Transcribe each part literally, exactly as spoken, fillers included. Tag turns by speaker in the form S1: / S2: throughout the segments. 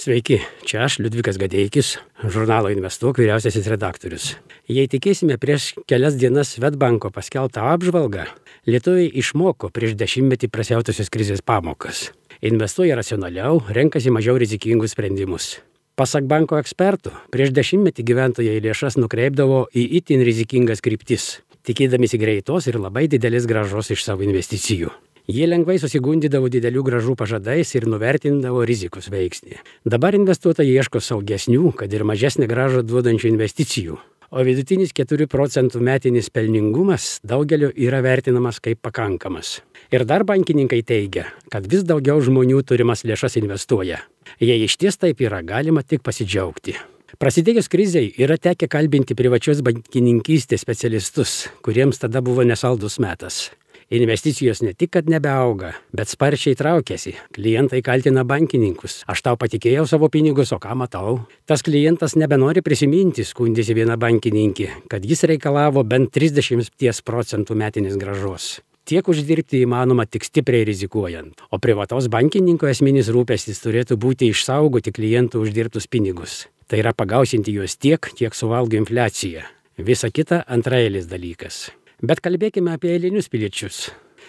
S1: Sveiki, čia aš, Liudvikas Gadeikis, žurnalo Investuok vyriausiasis redaktorius. Jei tikėsime prieš kelias dienas Swedbanko paskelbtą apžvalgą, lietuviai išmoko prieš dešimtmetį prasiautusios krizės pamokas. Investuoja racionaliau, renkasi mažiau rizikingus sprendimus. Pasak banko ekspertų, prieš dešimtmetį gyventojai lėšas nukreipdavo į itin rizikingas kryptis, tikėdamisi greitos ir labai didelės grąžos iš savo investicijų. Jie lengvai susigundydavo didelių grąžų pažadais ir nuvertindavo rizikos veiksnį. Dabar investuotojai ieško saugesnių, kad ir mažesnę grąžą duodančių investicijų. O vidutinis keturių procentų metinis pelningumas daugeliu yra vertinamas kaip pakankamas. Ir dar bankininkai teigia, kad vis daugiau žmonių turimas lėšas investuoja. Jei išties taip yra, galima tik pasidžiaugti. Prasidėjus krizei yra tekę kalbinti privačios bankininkystės specialistus, kuriems tada buvo nesaldus metas. Investicijos ne tik, kad nebeauga, bet sparčiai traukiasi. Klientai kaltina bankininkus. Aš tau patikėjau savo pinigus, o ką matau? Tas klientas nebenori prisiminti, skundėsi viena bankininkė, kad jis reikalavo bent trisdešimt procentų metinės grąžos. Tiek uždirbti įmanoma tik stipriai rizikuojant. O privataus bankininko esminis rūpestis turėtų būti išsaugoti klientų uždirbtus pinigus. Tai yra pagausinti juos tiek, kiek suvalgo infliacija. Visa kita antraeilis dalykas. Bet kalbėkime apie eilinius piliečius,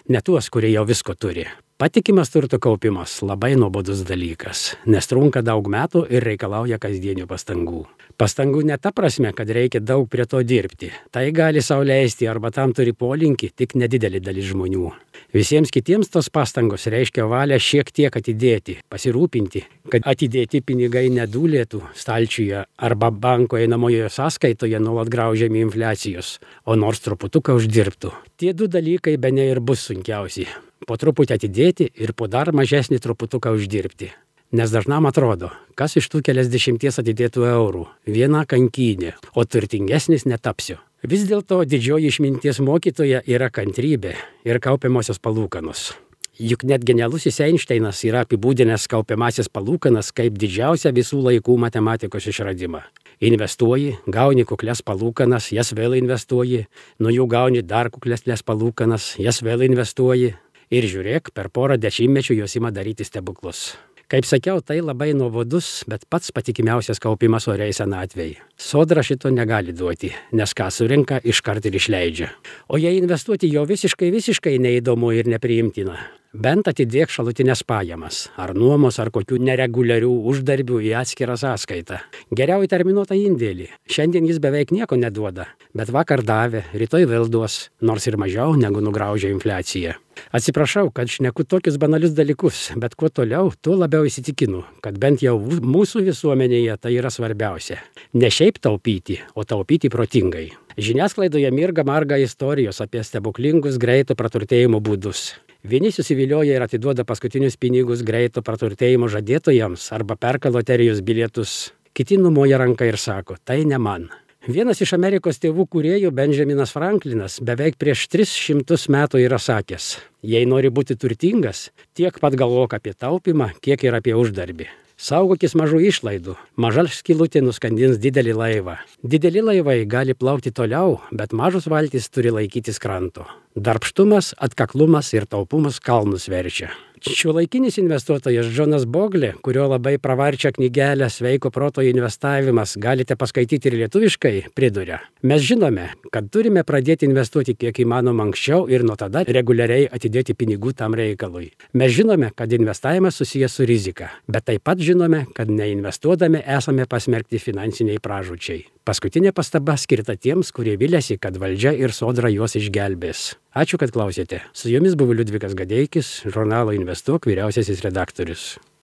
S1: ne tuos, kurie jau visko turi. Patikimas turto kaupimas labai nuobodus dalykas, nes trunka daug metų ir reikalauja kasdienių pastangų. Pastangų ne ta prasme, kad reikia daug prie to dirbti. Tai gali sau leisti arba tam turi polinkį tik nedidelė dalis žmonių. Visiems kitiems tos pastangos reiškia valią šiek tiek atidėti, pasirūpinti, kad atidėti pinigai nedūlėtų stalčiuje arba banko einamojoje sąskaitoje nuolat graužiami infliacijos, o nors truputuką uždirbtų. Tie du dalykai bene ir bus sunkiausi. Po truputį atidėti ir po dar mažesnį truputuką uždirbti. Nes dažnam atrodo, kas iš tų keliasdešimties atidėtų eurų, viena kankynė, o turtingesnis netapsiu. Vis dėlto didžioji išminties mokytoja yra kantrybė ir kaupiamosios palūkanos. Juk net genialusis Einšteinas yra apibūdinęs kaupiamasias palūkanas kaip didžiausią visų laikų matematikos išradimą. Investuoji, gauni kuklias palūkanas, jas vėl investuoji, nuo jų gauni dar kuklesnės palūkanas, jas vėl investuoji ir žiūrėk, per porą dešimtmečių jos ima daryti stebuklus. Kaip sakiau, tai labai nuobodus, bet pats patikimiausias kaupimas oriai senatvei. Sodra šito negali duoti, nes ką surinka, iškart ir išleidžia. O jei investuoti jau visiškai, visiškai neįdomu ir nepriimtina, bent atidėk šalutinės pajamas, ar nuomos, ar kokių nereguliarių uždarbių į atskirą sąskaitą. Geriau į terminuotą indėlį. Šiandien jis beveik nieko neduoda, bet vakar davė, rytoj vėl duos, nors ir mažiau negu nugraužia infliacija. Atsiprašau, kad šneku tokius banalius dalykus, bet kuo toliau, tuo labiau įsitikinu, kad bent jau mūsų visuomenėje tai yra svarbiausia. Ne šiaip taupyti, o taupyti protingai. Žiniasklaidoje mirga marga istorijos apie stebuklingus greito praturtėjimo būdus. Vieni susivilioja ir atiduoda paskutinius pinigus greito praturtėjimo žadėtojams arba perka loterijos bilietus. Kiti numoja ranką ir sako, tai ne man. Vienas iš Amerikos tėvų kūrėjų, Benjaminas Franklinas, beveik prieš tris šimtus metų yra sakęs, jei nori būti turtingas, tiek pat galvok apie taupimą, kiek ir apie uždarbį. Saugokis mažų išlaidų, maža skylutė nuskandins didelį laivą. Dideli laivai gali plaukti toliau, bet mažos valtys turi laikytis kranto. Darbštumas, atkaklumas ir taupumas kalnus verčia. Šiuolaikinis investuotojas Džonas Boglė, kurio labai pravarčią knygelę Sveiko proto investavimas galite paskaityti ir lietuviškai, priduria. Mes žinome, kad turime pradėti investuoti kiek įmanoma anksčiau ir nuo tada reguliariai atidėti pinigų tam reikalui. Mes žinome, kad investavimas susijęs su rizika, bet taip pat žinome, kad neinvestuodami esame pasmerkti finansiniai pražūčiai. Paskutinė pastaba skirta tiems, kurie viliasi, kad valdžia ir sodra juos išgelbės. Ačiū, kad klausėte. Su jumis buvo Liudvikas Gadeikis, žurnalo Investuok vyriausiasis redaktorius.